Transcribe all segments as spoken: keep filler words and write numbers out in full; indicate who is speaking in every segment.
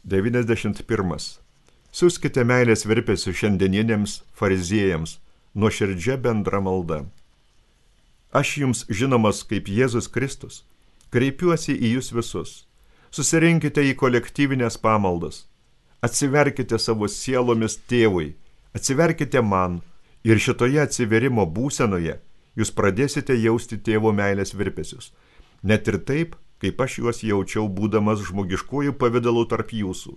Speaker 1: devyniasdešimt pirmas. Siųskite meilės virpesių šiandieniniams fariziejams, nuoširdžia bendra malda. Aš jums žinomas kaip Jėzus Kristus, kreipiuosi į jūs visus. Susirinkite į kolektyvinės pamaldas. Atsiverkite savo sielomis tėvui, atsiverkite man ir šitoje atsiverimo būsenoje jūs pradėsite jausti tėvo meilės virpesius. Net ir taip, kaip aš juos jaučiau būdamas žmogiškųjų pavidalų tarp jūsų.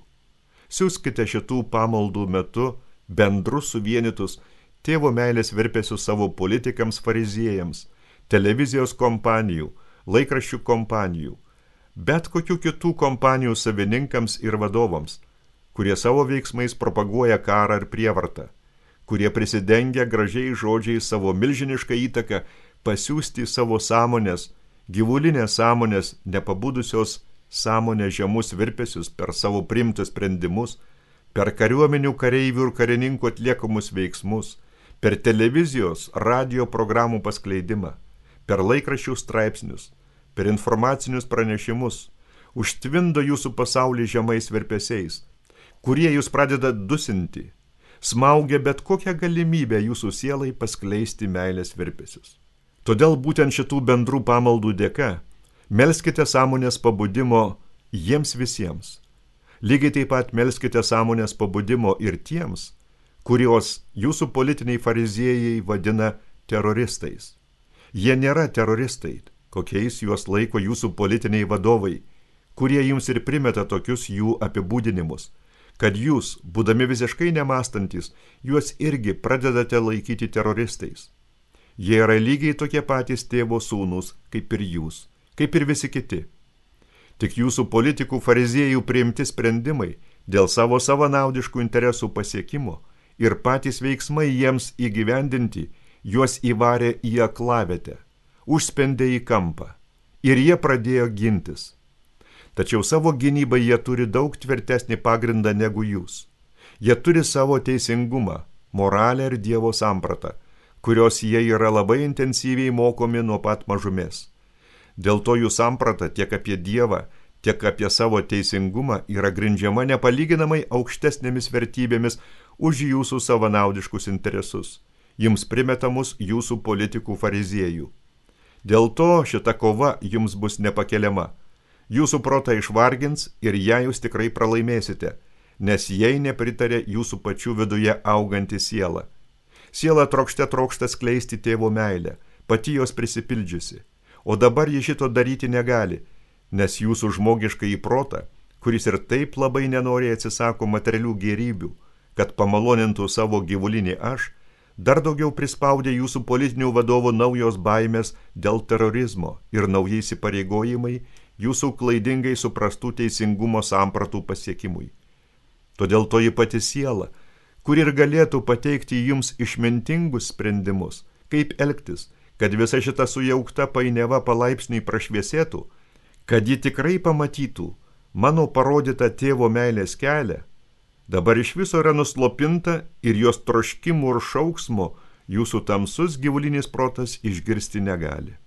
Speaker 1: Siųskite šitų pamaldų metu bendrus suvienytus tėvo meilės virpesius savo politikams fariziejams, televizijos kompanijų, laikraščių kompanijų, bet kokių kitų kompanijų savininkams ir vadovams, kurie savo veiksmais propaguoja karą ir prievartą, kurie prisidengia gražiai žodžiai savo milžinišką įtaką pasiųsti savo sąmonės, gyvulinės sąmonės, nepabudusios sąmonės žemus virpesius per savo priimtus sprendimus, per kariuomenių kareivių ir karininkų atliekamus veiksmus, per televizijos, radio programų paskleidimą, per laikraščių straipsnius, per informacinius pranešimus, užtvindo jūsų pasaulį žemais virpesiais, kurie jūs pradeda dusinti, smaugia bet kokią galimybę jūsų sielai paskleisti meilės virpesius. Todėl būtent šitų bendrų pamaldų dėka melskite sąmonės pabudimo jiems visiems. Lygiai taip pat melskite sąmonės pabudimo ir tiems, kurios jūsų politiniai fariziejai vadina teroristais. Jie nėra teroristai, kokiais juos laiko jūsų politiniai vadovai, kurie jums ir primeta tokius jų apibūdinimus, kad jūs, būdami visiškai nemastantis, juos irgi pradedate laikyti teroristais. Jie yra lygiai tokie patys tėvo sūnūs, kaip ir jūs, kaip ir visi kiti. Tik jūsų politikų fariziejų priimti sprendimai dėl savo savanaudiškų interesų pasiekimo ir patys veiksmai jiems įgyvendinti juos įvarė į aklavietę, užspendė į kampą ir jie pradėjo gintis. Tačiau savo gynybai jie turi daug tvirtesnį pagrindą negu jūs. Jie turi savo teisingumą, moralę ir Dievo sampratą, kurios jie yra labai intensyviai mokomi nuo pat mažumės. Dėl to jų samprata tiek apie Dievą, tiek apie savo teisingumą yra grindžiama nepalyginamai aukštesnėmis vertybėmis už jūsų savanaudiškus interesus, jums primetamus jūsų politikų fariziejų. Dėl to šita kova jums bus nepakeliama. Jūsų protą išvargins ir ją jūs tikrai pralaimėsite, nes jai nepritarė jūsų pačių viduje auganti siela. Siela trokšte trokšta skleisti tėvo meilę, pati jos prisipildžiusi, o dabar ji šito daryti negali, nes jūsų žmogiškai į protą, kuris ir taip labai nenori atsisako materialių gėrybių, kad pamalonintų savo gyvulinį aš, dar daugiau prispaudė jūsų politinių vadovų naujos baimės dėl terorizmo ir naujai įsipareigojimai jūsų klaidingai suprastų teisingumo sampratų pasiekimui. Todėl toji pati siela, kur ir galėtų pateikti jums išmintingus sprendimus, kaip elgtis, kad visa šita sujaukta painiava palaipsniui prašviesėtų, kad ji tikrai pamatytų mano parodytą tėvo meilės kelią, dabar iš viso yra nuslopinta ir jos troškimų ir šauksmo jūsų tamsus gyvulinis protas išgirsti negali.